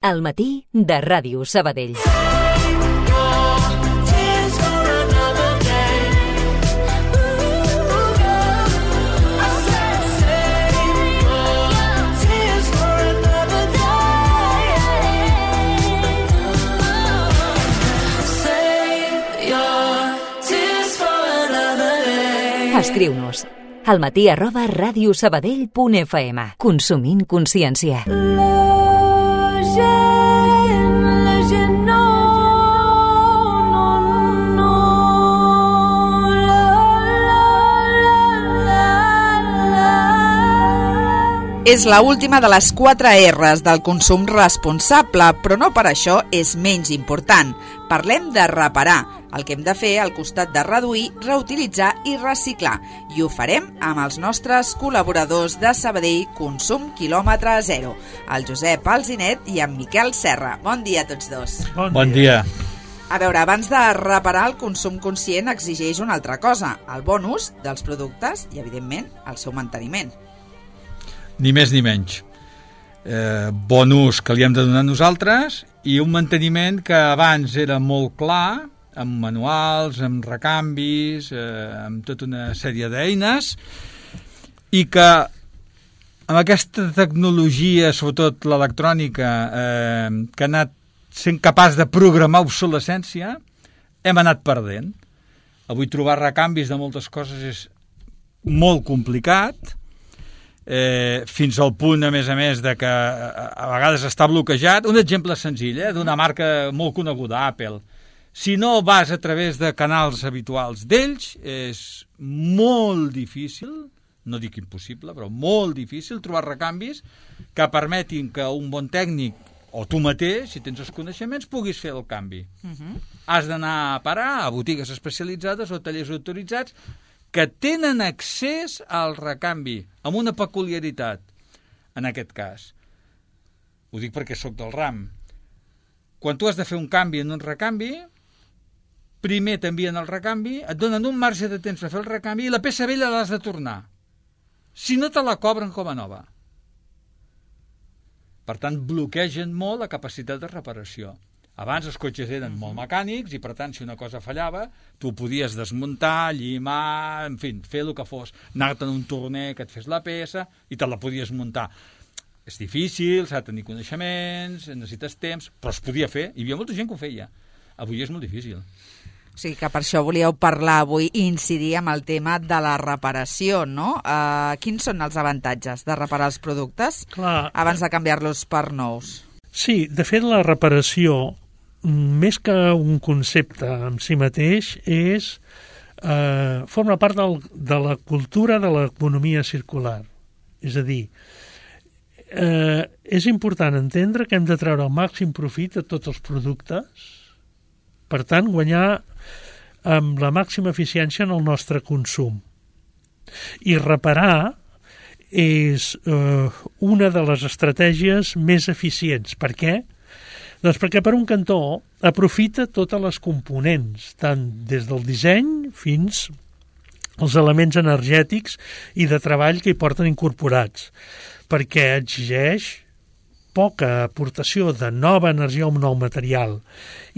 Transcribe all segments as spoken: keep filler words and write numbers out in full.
Al matí de Ràdio Sabadell. Escriu-nos al matí arroba radiosabadell punt f m. Consumint consciència. La gent, la gent no, no, no. La, la, la, la. És la última de les quatre erres del consum responsable, però no per això és menys important. Parlem de reparar, el que hem de fer al costat de reduir, reutilitzar i reciclar. I ho farem amb els nostres col·laboradors de Sabadell Consum Quilòmetre Zero, el Josep Alzinet i en Miquel Serra. Bon dia a tots dos. Bon, bon dia. A veure, abans de reparar, el consum conscient exigeix una altra cosa, el bon ús dels productes i, evidentment, el seu manteniment. Ni més ni menys. Eh, bon ús que li hem de donar nosaltres i un manteniment que abans era molt clar, amb manuals, amb recanvis, eh, amb tota una sèrie d'eines, i que amb aquesta tecnologia, sobretot l'electrònica, eh, que ha anat sent capaç de programar obsolescència, hem anat perdent. Avui trobar recanvis de moltes coses és molt complicat, eh, fins al punt, a més a més, de que a vegades està bloquejat. Un exemple senzill, eh, d'una marca molt coneguda, Apple. Si no vas a través de canals habituals d'ells, és molt difícil, no dic impossible, però molt difícil trobar recanvis que permetin que un bon tècnic, o tu mateix, si tens els coneixements, puguis fer el canvi. Uh-huh. Has d'anar a parar a botigues especialitzades o tallers autoritzats que tenen accés al recanvi, amb una peculiaritat, en aquest cas. Ho dic perquè sóc del ram. Quan tu has de fer un canvi en un recanvi, primer t'envien el recanvi, et donen un marge de temps per fer el recanvi i la peça vella l'has de tornar. Si no, te la cobren com a nova. Per tant, bloquegen molt la capacitat de reparació. Abans els cotxes eren molt mecànics i, per tant, si una cosa fallava, tu podies desmuntar, llimar, en fi, fer el que fos, anar-te'n a un torner que et fes la peça i te la podies muntar. És difícil, s'ha de tenir coneixements, necessites temps, però es podia fer. Hi havia molta gent que ho feia. Avui és molt difícil. O sigui que per això volíeu parlar avui i incidir amb el tema de la reparació, no? Uh, quins són els avantatges de reparar els productes Clar. abans de canviar-los per nous? Sí, de fet la reparació, més que un concepte en si mateix, és eh, forma part del, de la cultura de l'economia circular. És a dir, eh, és important entendre que hem de treure el màxim profit de tots els productes, per tant, guanyar amb la màxima eficiència en el nostre consum. I reparar és eh, una de les estratègies més eficients. Per què? Doncs perquè per un cantó aprofita totes les components, tant des del disseny fins als elements energètics i de treball que hi porten incorporats, perquè exigeix poca aportació de nova energia o un nou material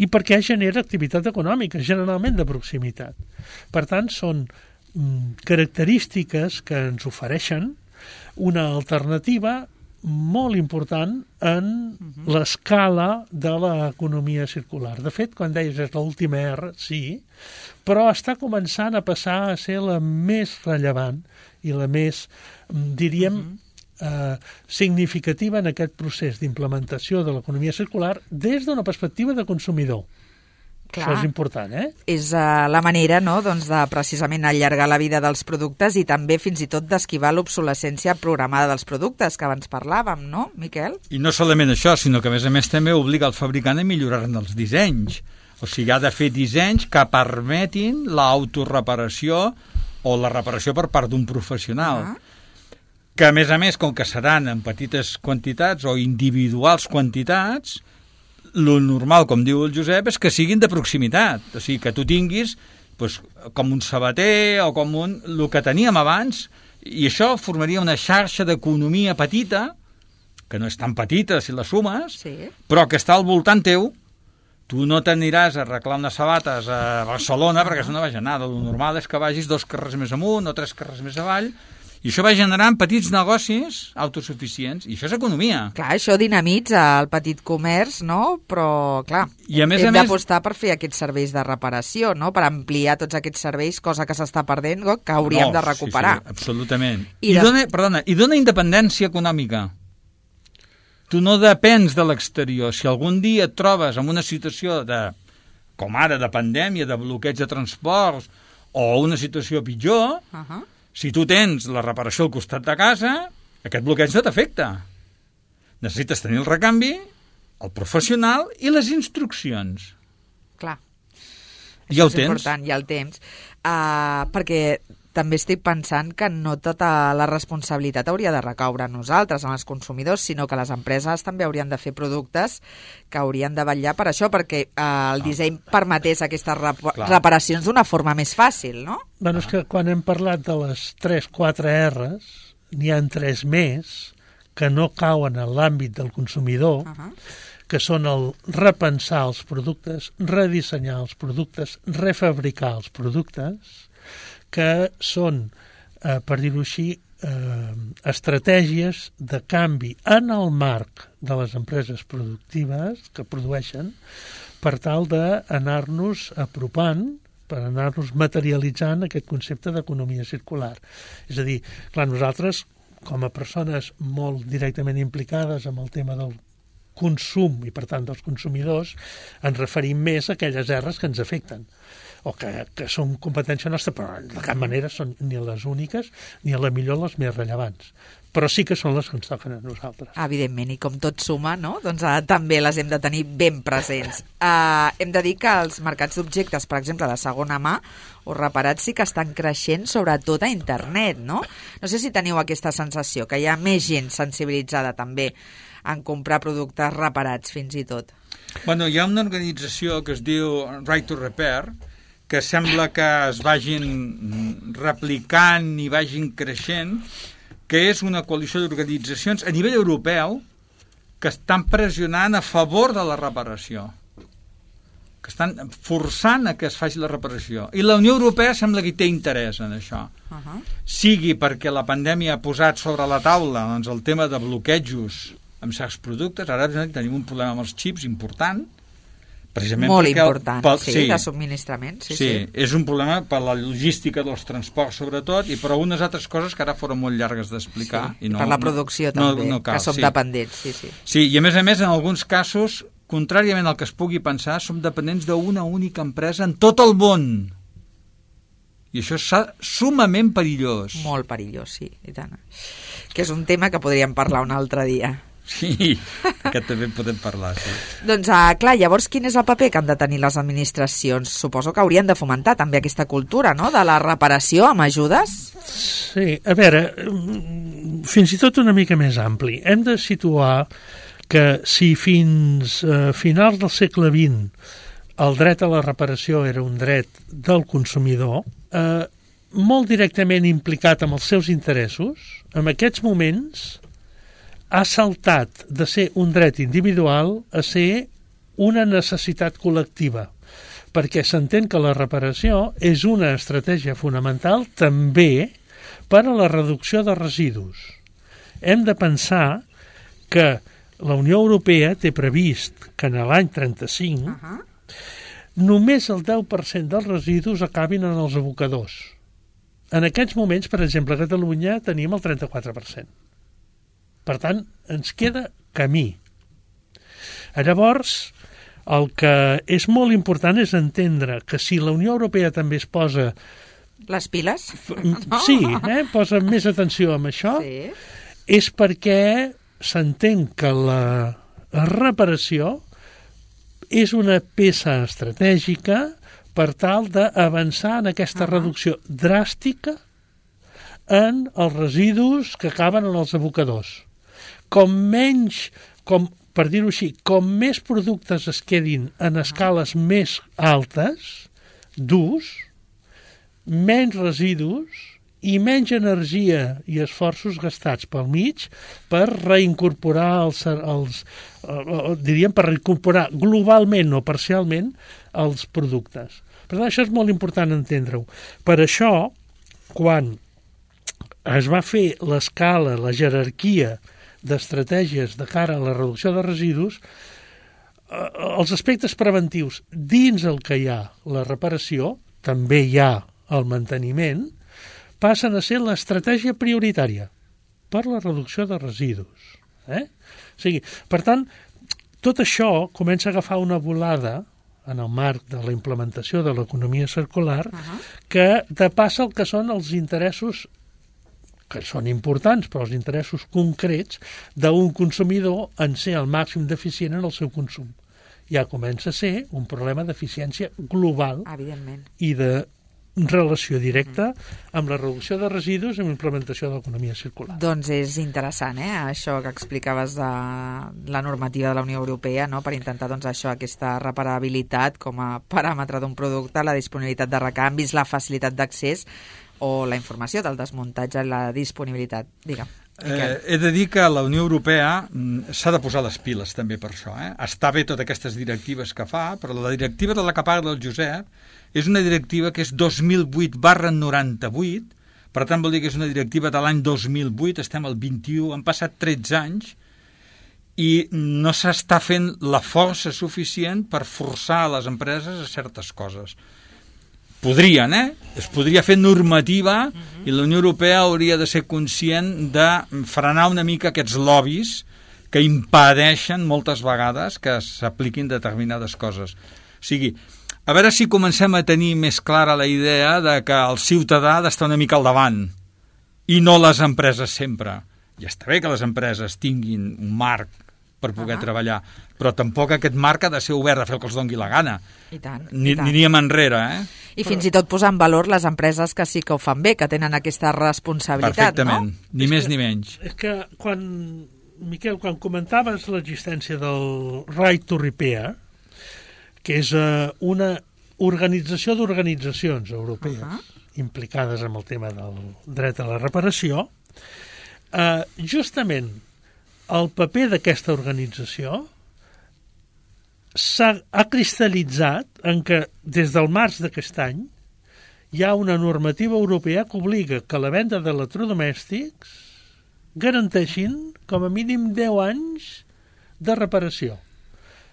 i perquè genera activitat econòmica, generalment de proximitat. Per tant, són mm, característiques que ens ofereixen una alternativa molt important en uh-huh. l'escala de l'economia circular. De fet, quan deies és l'última R, sí, però està començant a passar a ser la més rellevant i la més, diríem, uh-huh. eh, significativa en aquest procés d'implementació de l'economia circular des d'una perspectiva de consumidor. Clar. Això és important, eh? És uh, la manera, no?, doncs, de precisament allargar la vida dels productes i també fins i tot d'esquivar l'obsolescència programada dels productes que abans parlàvem, no, Miquel? I no solament això, sinó que a més a més també obliga el fabricant a millorar-ne els dissenys. O sigui, ha de fer dissenys que permetin l'autoreparació o la reparació per part d'un professional. Ah. Que a més a més, com que seran en petites quantitats o individuals quantitats, lo normal, com diu el Josep, és que siguin de proximitat. O sigui, que tu tinguis doncs, com un sabater o com un, el que teníem abans, i això formaria una xarxa d'economia petita que no és tan petita si la sumes, Sí. però que està al voltant teu. Tu no t'aniràs a arreglar unes sabates a Barcelona, perquè això no vaja nada. El normal és que vagis dos carrers més amunt o tres carrers més avall, i això va generant petits negocis autosuficients, i això és economia. Clar, això dinamitza el petit comerç, no? Però, clar, I a més a hem més- d'apostar per fer aquests serveis de reparació, no? Per ampliar tots aquests serveis, cosa que s'està perdent, no? Que hauríem No, de recuperar. Sí, sí, absolutament. I I, des- dona, perdona, i dona independència econòmica. Tu no depens de l'exterior. Si algun dia et trobes en una situació de, com ara, de pandèmia, de bloqueig de transports, o una situació pitjor, Uh -huh. si tu tens la reparació al costat de casa, aquest bloqueig no t'afecta. Necessites tenir el recanvi, el professional i les instruccions. Clar. I ja ho és tens. important, ja el temps. Uh, perquè també estic pensant que no tota la responsabilitat hauria de recaure en nosaltres, en els consumidors, sinó que les empreses també haurien de fer productes que haurien de vetllar per això, perquè uh, el disseny permetés aquestes rep Clar. reparacions d'una forma més fàcil, no? Bueno, és que quan hem parlat de les tres quatre R's, n'hi ha tres més que no cauen en l'àmbit del consumidor, Uh -huh. que són el repensar els productes, redissenyar els productes, refabricar els productes, que són, eh, per dir-ho així, eh, estratègies de canvi en el marc de les empreses productives que produeixen per tal d'anar-nos apropant, per anar-nos materialitzant aquest concepte d'economia circular. És a dir, clar, nosaltres, com a persones molt directament implicades amb el tema del consum i, per tant, dels consumidors, ens referim més a aquelles erres que ens afecten o que, que són competència nostra, però de cap manera són ni les úniques ni a la millor les més rellevants. Però sí que són les que ens toquen a nosaltres. Evidentment, i com tot suma, no? Doncs uh, també les hem de tenir ben presents. Uh, hem de dir que els mercats d'objectes, per exemple, de segona mà o reparats, sí que estan creixent, sobretot a internet, no? No sé si teniu aquesta sensació, que hi ha més gent sensibilitzada també en comprar productes reparats, fins i tot. Bueno, hi ha una organització que es diu Right to Repair, que sembla que es vagin replicant i vagin creixent, que és una coalició d'organitzacions a nivell europeu que estan pressionant a favor de la reparació, que estan forçant a que es faci la reparació. I la Unió Europea sembla que hi té interès en això. Uh -huh. Sigui perquè la pandèmia ha posat sobre la taula doncs, el tema de bloquejos amb certs productes. Ara tenim un problema amb els xips important, precisament Molt perquè el- important, pel- sí, de subministrament. Sí, Sí, sí. sí, és un problema per la logística dels transports, sobretot, i per algunes altres coses que ara foren molt llargues d'explicar. Sí, i per la producció també, no cal, que som sí. dependents. Sí, sí. Sí, i a més a més, en alguns casos, contràriament al que es pugui pensar, som dependents d'una única empresa en tot el món. I això és sumament perillós. Molt perillós, sí, i tant. Que és un tema que podríem parlar un altre dia. Sí, aquest també en podem parlar, sí. Doncs, uh, clar, llavors quin és el paper que han de tenir les administracions? Suposo que haurien de fomentar també aquesta cultura, no?, de la reparació amb ajudes? Sí, a veure, fins i tot una mica més ampli. Hem de situar que si fins a eh, finals del segle vint el dret a la reparació era un dret del consumidor, eh, molt directament implicat amb els seus interessos, en aquests moments ha saltat de ser un dret individual a ser una necessitat col·lectiva, perquè s'entén que la reparació és una estratègia fonamental també per a la reducció de residus. Hem de pensar que la Unió Europea té previst que en l'any trenta-cinc uh -huh. només el deu per cent dels residus acabin en els abocadors. En aquests moments, per exemple, a Catalunya tenim el trenta-quatre per cent. Per tant, ens queda camí. Llavors, el que és molt important és entendre que si la Unió Europea també es posa... Les piles? Sí, eh, posa més atenció amb això, Sí. és perquè s'entén que la reparació és una peça estratègica per tal d'avançar en aquesta uh -huh. reducció dràstica en els residus que acaben en els abocadors. Com menys, com, per dir-ho així, com més productes es quedin en escales més altes d'ús, menys residus i menys energia i esforços gastats pel mig per reincorporar els, els eh, diríem, per reincorporar globalment o parcialment els productes. Per tant, això és molt important entendre-ho. Per això, quan es va fer l'escala, la jerarquia d'estratègies de cara a la reducció de residus, eh, els aspectes preventius dins el que hi ha la reparació, també hi ha el manteniment, passen a ser l'estratègia prioritària per la reducció de residus. Eh? O sigui, per tant, tot això comença a agafar una volada en el marc de la implementació de l'economia circular uh-huh. que depassa el que són els interessos, que són importants, però els interessos concrets d'un consumidor en ser el màxim d'eficient en el seu consum. Ja comença a ser un problema d'eficiència global i de relació directa amb la reducció de residus i amb l'implementació de l'economia circular. Doncs és interessant, eh? Això que explicaves de la normativa de la Unió Europea, no? Per intentar doncs, això, aquesta reparabilitat com a paràmetre d'un producte, la disponibilitat de recanvis, la facilitat d'accés o la informació del desmuntatge i la disponibilitat. Digue'm. Eh, he de dir que la Unió Europea s'ha de posar les piles també per això. Eh? Està bé totes aquestes directives que fa, però la directiva de la que parla el Josep és una directiva que és dos mil vuit barra noranta-vuit, per tant vol dir que és una directiva de l'any dos mil vuit, estem al vint-i-u, han passat tretze anys i no s'està fent la força suficient per forçar les empreses a certes coses. Podrien, eh? Es podria fer normativa uh-huh. i la Unió Europea hauria de ser conscient de frenar una mica aquests lobbies que impedeixen moltes vegades que s'apliquin determinades coses. O sigui, a veure si comencem a tenir més clara la idea de que el ciutadà ha d'estar una mica al davant i no les empreses sempre. Ja està bé que les empreses tinguin un marc per poder uh-huh. treballar, però tampoc aquest marc ha de ser obert a fer el que els doni la gana. I tant, Ni, i tant. Aniríem enrere, eh? I fins i tot posar en valor les empreses que sí que ho fan bé, que tenen aquesta responsabilitat, Perfectament. no? Ni és més que, ni menys. És que quan, Miquel, quan comentaves l'existència del Right to Repair, que és uh, una organització d'organitzacions europees uh-huh. implicades en el tema del dret a la reparació, uh, justament el paper d'aquesta organització s'ha ha cristal·litzat en què des del març d'aquest any hi ha una normativa europea que obliga que la venda d'electrodomèstics garanteixin com a mínim deu anys de reparació.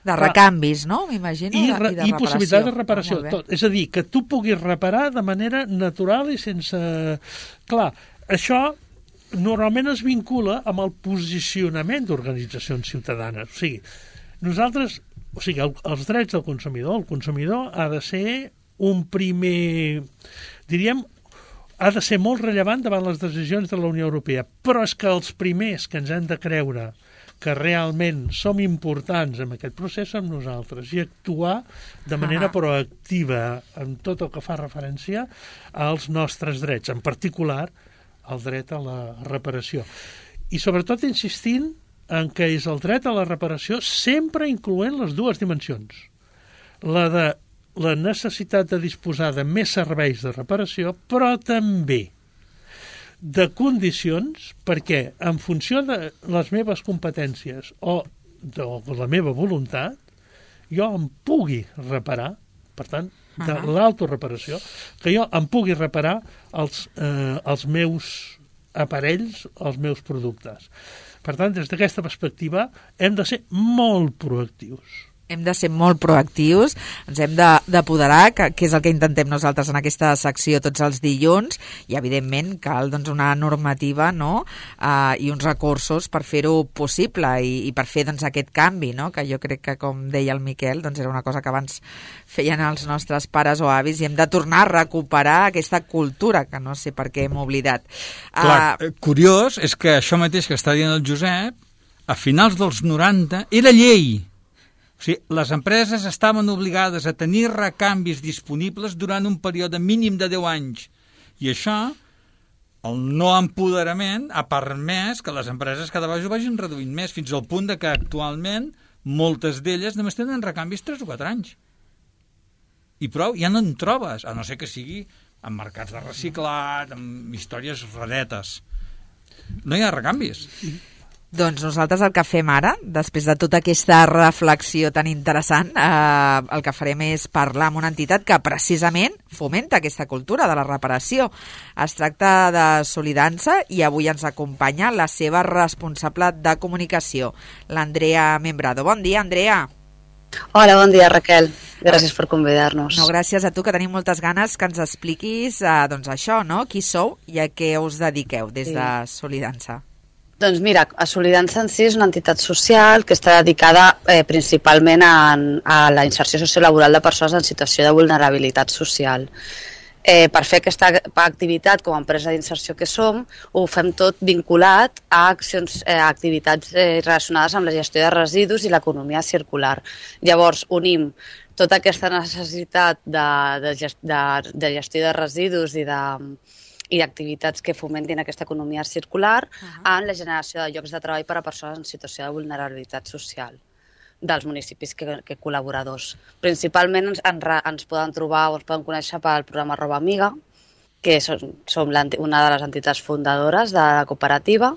De recanvis, no? M'imagino. I, I, de i possibilitat de reparació. reparació. Tot. És a dir, que tu puguis reparar de manera natural i sense... Clar, això normalment es vincula amb el posicionament d'organitzacions ciutadanes. O sigui, nosaltres... O sigui, el, els drets del consumidor, el consumidor ha de ser un primer... Diríem, ha de ser molt rellevant davant les decisions de la Unió Europea. Però és que els primers que ens hem de creure que realment som importants en aquest procés som nosaltres i actuar de manera proactiva en tot el que fa referència als nostres drets, en particular el dret a la reparació. I sobretot insistint en què és el dret a la reparació sempre incloent les dues dimensions. La de la necessitat de disposar de més serveis de reparació, però també de condicions perquè en funció de les meves competències o de la meva voluntat jo em pugui reparar, per tant, de uh-huh. l'autoreparació, que jo em pugui reparar els, eh, els meus aparells, els meus productes. Per tant, des d'aquesta perspectiva hem de ser molt proactius. Hem de ser molt proactius, ens hem d'apoderar, que, que és el que intentem nosaltres en aquesta secció tots els dilluns, i evidentment cal doncs, una normativa, no? uh, i uns recursos per fer-ho possible i, i per fer doncs, aquest canvi, no? Que jo crec que, com deia el Miquel, doncs, era una cosa que abans feien els nostres pares o avis i hem de tornar a recuperar aquesta cultura que no sé per què hem oblidat. Clar, uh, curiós és que això mateix que està dient el Josep, a finals dels noranta, era llei. O sigui, les empreses estaven obligades a tenir recanvis disponibles durant un període mínim de deu anys. I això, el no empoderament, ha permès que les empreses cada vegada ho vagin reduint més, fins al punt de que actualment moltes d'elles només tenen recanvis tres o quatre anys. I prou, ja no en trobes, a no ser que sigui amb mercats de reciclat, amb històries raretes. No hi ha recanvis. Doncs nosaltres el que fem ara, després de tota aquesta reflexió tan interessant, eh, el que farem és parlar amb una entitat que precisament fomenta aquesta cultura de la reparació. Es tracta de Solidança i avui ens acompanya la seva responsable de comunicació, l'Andrea Membrado. Bon dia, Andrea. Hola, bon dia, Raquel. Gràcies per convidar-nos. No, gràcies a tu, que tenim moltes ganes que ens expliquis eh, doncs això, no? Qui sou i a què us dediqueu des de Solidança. Doncs mira, a Solidança en si és una entitat social que està dedicada eh, principalment a, a la inserció sociolaboral de persones en situació de vulnerabilitat social. Eh, per fer aquesta activitat com a empresa d'inserció que som, ho fem tot vinculat a accions, eh, activitats eh, relacionades amb la gestió de residus i l'economia circular. Llavors, unim tota aquesta necessitat de, de, de, de gestió de residus i de i d'activitats que fomentin aquesta economia circular uh-huh. en la generació de llocs de treball per a persones en situació de vulnerabilitat social dels municipis que, que col·laboradors. Principalment ens, ens poden trobar o ens poden conèixer pel programa Roba Amiga, que som, som una de les entitats fundadores de la cooperativa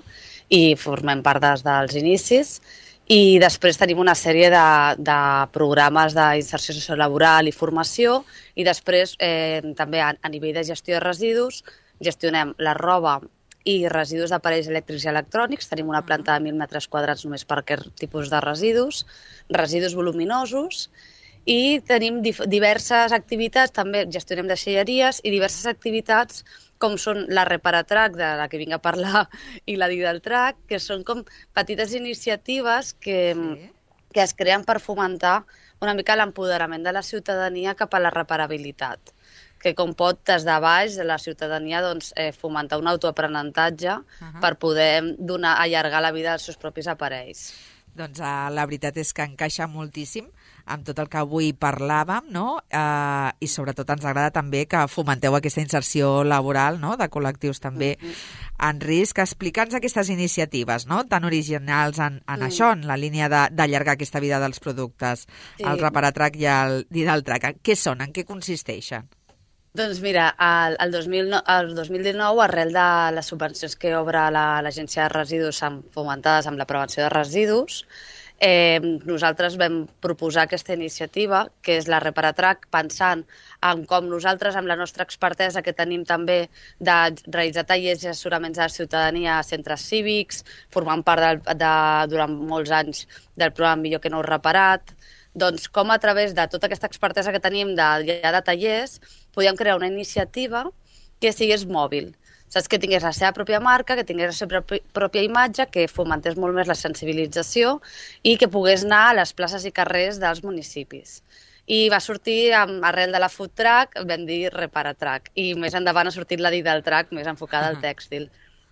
i formem part des dels inicis. I després tenim una sèrie de, de programes d'inserció sociolaboral i formació i després eh, també a, a nivell de gestió de residus gestionem la roba i residus d'aparells elèctrics i electrònics. Tenim una planta de mil metres quadrats només per aquest tipus de residus, residus voluminosos i tenim diverses activitats, també gestionem deixalleries i diverses activitats com són la Reparatrac, de la que vinc a parlar, i la Didaltrac, que són com petites iniciatives que, sí. que es creen per fomentar una mica l'empoderament de la ciutadania cap a la reparabilitat, que com pot des de baix de la ciutadania doncs, eh, fomentar un autoaprenentatge uh-huh. per poder donar, allargar la vida dels seus propis aparells. Doncs uh, la veritat és que encaixa moltíssim amb tot el que avui parlàvem, no? Uh, i sobretot ens agrada també que fomenteu aquesta inserció laboral, no? De col·lectius també uh-huh. en risc. Explica'ns aquestes iniciatives, no? Tan originals en, en uh-huh. això, en la línia d'allargar aquesta vida dels productes, sí. el Reparatrac i el Didaltrac. Què són? En què consisteixen? Doncs mira, el, el, dos mil nou, el dos mil dinou, arrel de les subvencions que obre l'Agència la, de Residus fomentades amb la prevenció de residus, eh, nosaltres vam proposar aquesta iniciativa, que és la Reparatrac, pensant en com nosaltres, amb la nostra expertesa que tenim també de realitzar tallers i assessoraments a la ciutadania a centres cívics, formant part de, de, durant molts anys del programa Millor que no reparat, doncs com a través de tota aquesta expertesa que tenim de, ja de tallers podíem crear una iniciativa que sigués mòbil, saps? Que tingués la seva pròpia marca, que tingués la seva pròpia imatge, que fomentés molt més la sensibilització i que pogués anar a les places i carrers dels municipis. I va sortir, arrel de la food truck, vam dir Reparatrac, i més endavant ha sortit la Didaltrac, més enfocada al tèxtil.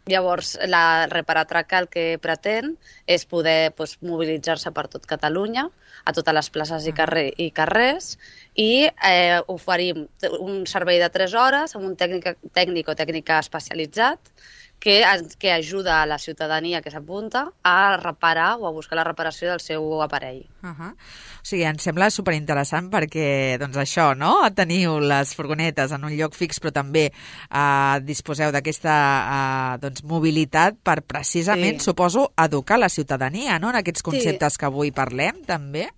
Llavors, la Reparatrac el que pretén és poder doncs, mobilitzar-se per tot Catalunya, a totes les places i, carrer, i carrers, i eh, oferim un servei de tres hores amb un tècnic, tècnic o tècnica especialitzat que, que ajuda a la ciutadania que s'apunta a reparar o a buscar la reparació del seu aparell. Uh-huh. O sigui, em sembla superinteressant perquè, doncs això, no? Teniu les furgonetes en un lloc fix, però també eh, disposeu d'aquesta eh, doncs, mobilitat per precisament, sí. suposo, educar la ciutadania, no? En aquests conceptes sí. que avui parlem, també.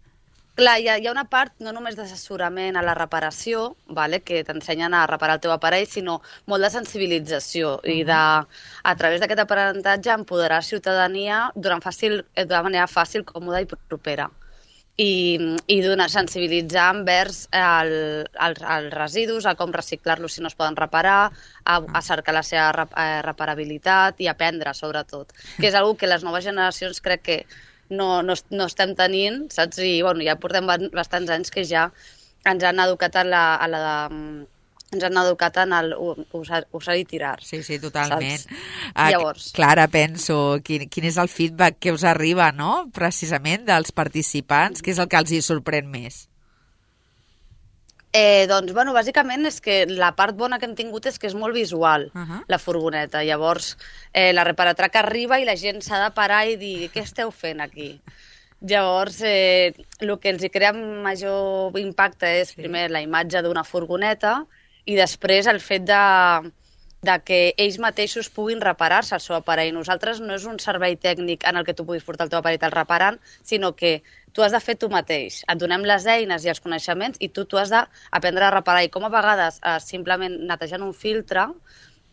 Clar, hi ha, hi ha una part no només d'assessorament a la reparació, vale, que t'ensenyen a reparar el teu aparell, sinó molt de sensibilització uh-huh. i de, a través d'aquest aprenentatge empoderar la ciutadania d'una fàcil, d'una manera fàcil, còmoda i propera. I, i donar, sensibilitzar envers el, els, els residus, a com reciclar-los si no es poden reparar, a, a cercar la seva rep, eh, reparabilitat i aprendre, sobretot, que és una que les noves generacions crec que no, no, no estem tenint, saps? I bueno, ja portem bastants anys que ja ens han educat a la... A la ens han educat en el usar, usar i tirar. Sí, sí, totalment. Uh, Llavors... Clara, penso, quin, quin és el feedback que us arriba, no?, precisament dels participants, què és el que els hi sorprèn més? Eh, doncs, bueno, bàsicament és que la part bona que hem tingut és que és molt visual, uh-huh. la furgoneta. Llavors, eh, la Reparatrac arriba i la gent s'ha de parar i dir, què esteu fent aquí? Llavors, eh, el que els hi crea major impacte és, sí. primer, la imatge d'una furgoneta i després el fet de, de que ells mateixos puguin reparar-se el seu aparell. Nosaltres no és un servei tècnic en el que tu puguis portar el teu aparell al reparant, sinó que tu has de fer tu mateix. Et donem les eines i els coneixements i tu, tu has d'aprendre a reparar. I com a vegades eh, simplement netejant un filtre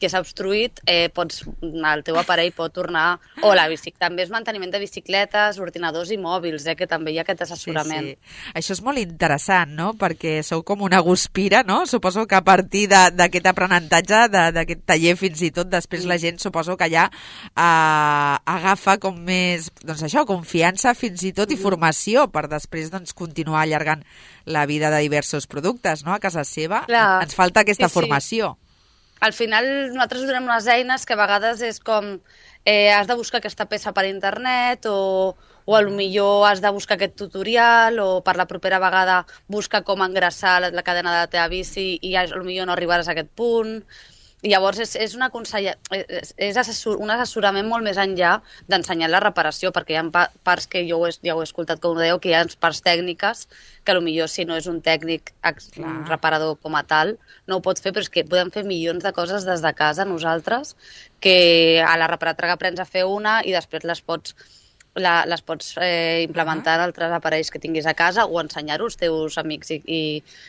que s'ha obstruït, eh, pots, el teu aparell pot tornar... O la bicic, també és manteniment de bicicletes, ordinadors i mòbils, eh, que també hi ha aquest assessorament. Sí, sí. Això és molt interessant, no?, perquè sou com una guspira, no? Suposo que a partir d'aquest aprenentatge, d'aquest taller fins i tot, després la gent suposo que ja eh, agafa com més, doncs això, confiança fins i tot i formació per després doncs, continuar allargant la vida de diversos productes, no?, a casa seva. Clar. Ens falta aquesta sí, formació. Sí. Al final nosaltres donem unes eines que a vegades és com eh, has de buscar aquesta peça per internet o, o a lo millor has de buscar aquest tutorial o per la propera vegada busca com engraçar la, la cadena de la teva bici i a lo millor no arribaràs a aquest punt. I llavors és, és, una consella, és, és assessor, un assessorament molt més enllà d'ensenyar la reparació, perquè hi ha pa, parts que jo ho he, ja ho he escoltat, com ho dèieu, que hi ha parts tècniques que potser si no és un tècnic un reparador com a tal, no ho pot fer, però és que podem fer milions de coses des de casa nosaltres, que a la reparatraga aprens a fer una i després les pots La, les pots eh, implementar en altres aparells que tinguis a casa o ensenyar-ho als teus amics i, i,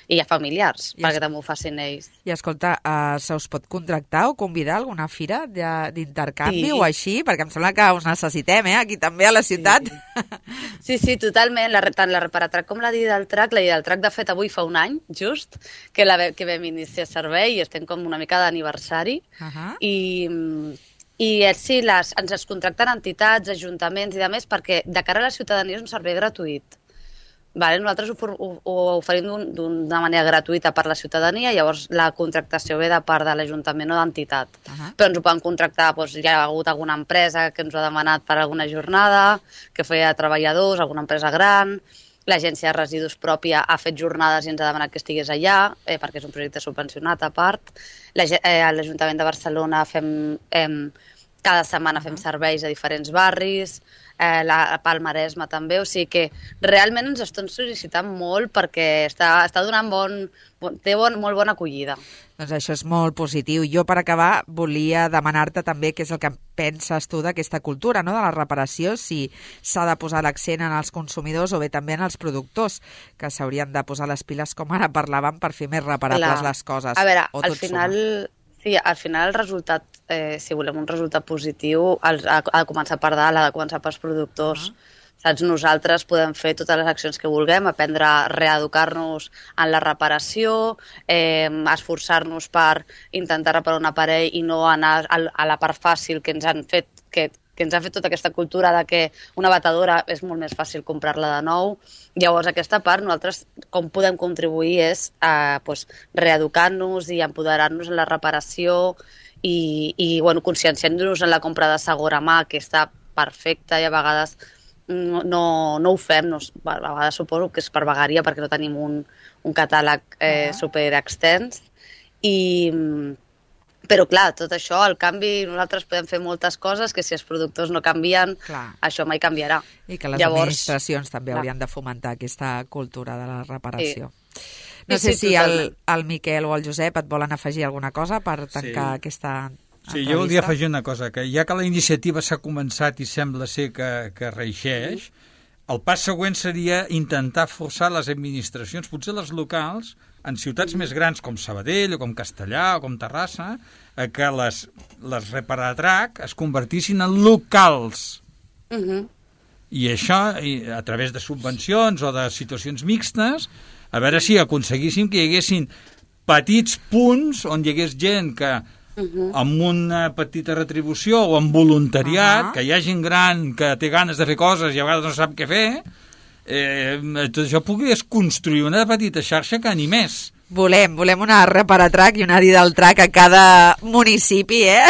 i a familiars, I perquè es... també ho facin ells. I escolta, uh, se us pot contractar o convidar a alguna fira d'intercanvi sí. o així? Perquè em sembla que us necessitem, eh? Aquí també a la ciutat. Sí, sí, sí totalment. La, tant la Reparatrac com la Didaltrac. La Didaltrac, de fet, avui fa un any, just, que, la, que vam iniciar servei i estem com una mica d'aniversari. Uh -huh. I... I sí, les, ens es contracten entitats, ajuntaments i de més perquè de cara a la ciutadania és un servei gratuït. Vale? Nosaltres ho, ho, ho oferim d'una manera gratuïta per la ciutadania, llavors la contractació ve de part de l'Ajuntament o d'entitat. Uh -huh. Però ens ho poden contractar, doncs, hi ha hagut alguna empresa que ens ho ha demanat per alguna jornada, que feia treballadors, alguna empresa gran, l'agència de residus pròpia ha fet jornades i ens ha demanat que estigués allà, eh, perquè és un projecte subvencionat a part. Eh, a l'Ajuntament de Barcelona fem... Eh, cada setmana fem serveis a diferents barris, eh, la Palmaresma també, o sigui que realment ens estan sol·licitant molt perquè està, està donant bon, bon, té bon, molt bona acollida. Doncs això és molt positiu. Jo, per acabar, volia demanar-te també què és el que penses tu d'aquesta cultura, no?, de la reparació, si s'ha de posar l'accent en els consumidors o bé també en els productors, que s'haurien de posar les piles, com ara parlàvem, per fer més reparables Clar. les coses. A veure, al final... Suma. Sí, al final el resultat, eh, si volem un resultat positiu, ha, ha de començar per dalt, ha de començar pels productors. Uh-huh. Saps? Nosaltres podem fer totes les accions que vulguem, aprendre a reeducar-nos en la reparació, eh, esforçar-nos per intentar reparar un aparell i no anar a, a la part fàcil que ens han fet, que, que ens ha fet tota aquesta cultura de que una batedora és molt més fàcil comprar-la de nou. Llavors, aquesta part, nosaltres com podem contribuir és a pues, reeducar-nos i empoderar-nos en la reparació i, i bueno, conscienciar-nos en la compra de segona mà, que està perfecta i a vegades no, no, no ho fem. No, a vegades suposo que és per vagaria perquè no tenim un, un catàleg eh, ah. super extens. I... Però, clar, tot això, el canvi, nosaltres podem fer moltes coses que si els productors no canvien, clar. això mai canviarà. I que les Llavors, administracions també clar. haurien de fomentar aquesta cultura de la reparació. Sí. No sí, sé sí, si el, el Miquel o el Josep et volen afegir alguna cosa per tancar sí. aquesta entrevista. Sí, jo voldria afegir una cosa, que ja que la iniciativa s'ha començat i sembla ser que, que reixeix, mm. el pas següent seria intentar forçar les administracions, potser les locals, en ciutats més grans com Sabadell o com Castellà o com Terrassa, a que les, les Reparatrac es convertissin en locals. Uh-huh. I això, a través de subvencions o de situacions mixtes, a veure si aconseguíssim que hi haguessin petits punts on hi hagués gent que uh-huh. amb una petita retribució o amb voluntariat, uh-huh. que hi ha gent gran que té ganes de fer coses i a vegades no sap què fer, Eh, tot això pogués construir una petita xarxa que animés. Volem, volem una Reparatrac i una Didaltrac a cada municipi, eh?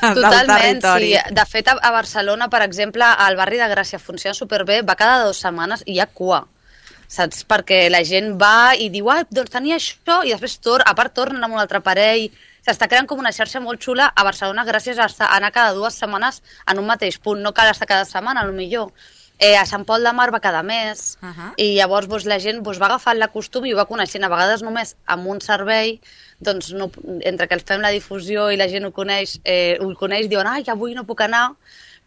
Totalment, sí. De fet, a Barcelona, per exemple, al barri de Gràcia funciona superbé, va cada dues setmanes i hi ha cua. Saps? Perquè la gent va i diu, ah, doncs tenia això, i després tor a part tornen amb un altre aparell. S'està creant com una xarxa molt xula a Barcelona gràcies a anar cada dues setmanes en un mateix punt. No cal estar cada setmana, potser. Eh, a Sant Pol de Mar va cada mes, Uh -huh. i llavors doncs, la gent doncs, va agafant la costum i ho va coneixent, a vegades només amb un servei, doncs no, entre que el fem la difusió i la gent ho coneix, eh, ho coneix, diuen, ai, avui no puc anar,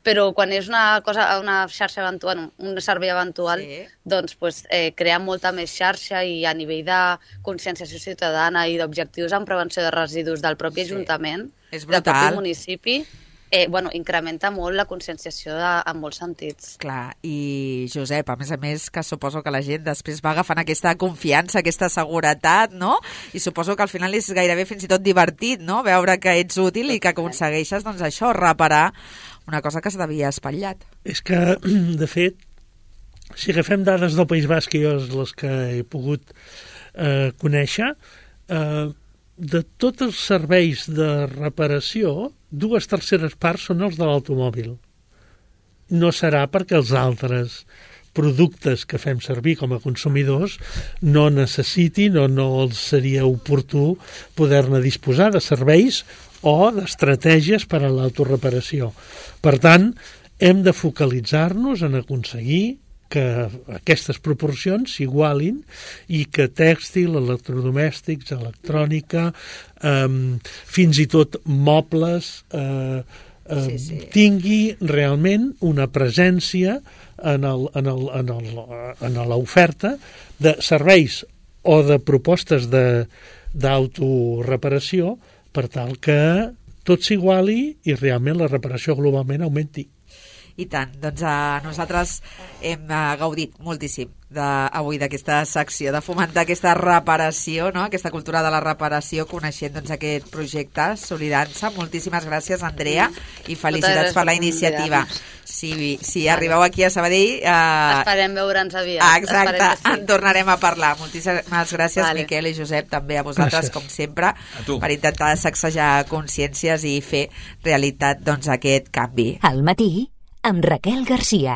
però quan és una cosa, una xarxa eventual, un servei eventual, Sí. doncs pues, eh, crea molta més xarxa i a nivell de conscienciació ciutadana i d'objectius en prevenció de residus del propi Sí. Ajuntament, És del brutal. propi municipi, eh, bueno, incrementa molt la conscienciació de, en molts sentits. Clar, i Josep, a més a més, que suposo que la gent després va agafant aquesta confiança, aquesta seguretat, no? I suposo que al final és gairebé fins i tot divertit, no? Veure que ets útil i que aconsegueixes, doncs això, reparar una cosa que s'havia espatllat. És que, de fet, si agafem dades del País Basc, que jo és les que he pogut eh, conèixer, eh, de tots els serveis de reparació, dues terceres parts són els de l'automòbil. No serà perquè els altres productes que fem servir com a consumidors no necessitin o no els seria oportú poder-ne disposar de serveis o d'estratègies per a l'autoreparació. Per tant, hem de focalitzar-nos en aconseguir que aquestes proporcions s'igualin i que tèxtil, electrodomèstics, electrònica, eh, fins i tot mobles, eh, eh, Sí, sí. tingui realment una presència en el, en el, en el, en l'oferta de serveis o de propostes de, d'autoreparació per tal que tot s'iguali i realment la reparació globalment augmenti. I tant, doncs a nosaltres hem uh, gaudit moltíssim de, avui d'aquesta secció, de fomentar aquesta reparació, no? Aquesta cultura de la reparació, coneixent doncs, aquest projecte Solidança. Moltíssimes gràcies, Andrea, i felicitats per la iniciativa. Si, si arribeu aquí a Sabadell... Uh... Esperem veure'ns aviat. Ah, exacte, sí. en tornarem a parlar. Moltíssimes gràcies, Vale. Miquel i Josep, també a vosaltres, Gràcies. com sempre, tu. per intentar sacsejar consciències i fer realitat doncs, aquest canvi. Al matí, amb Raquel Garcia.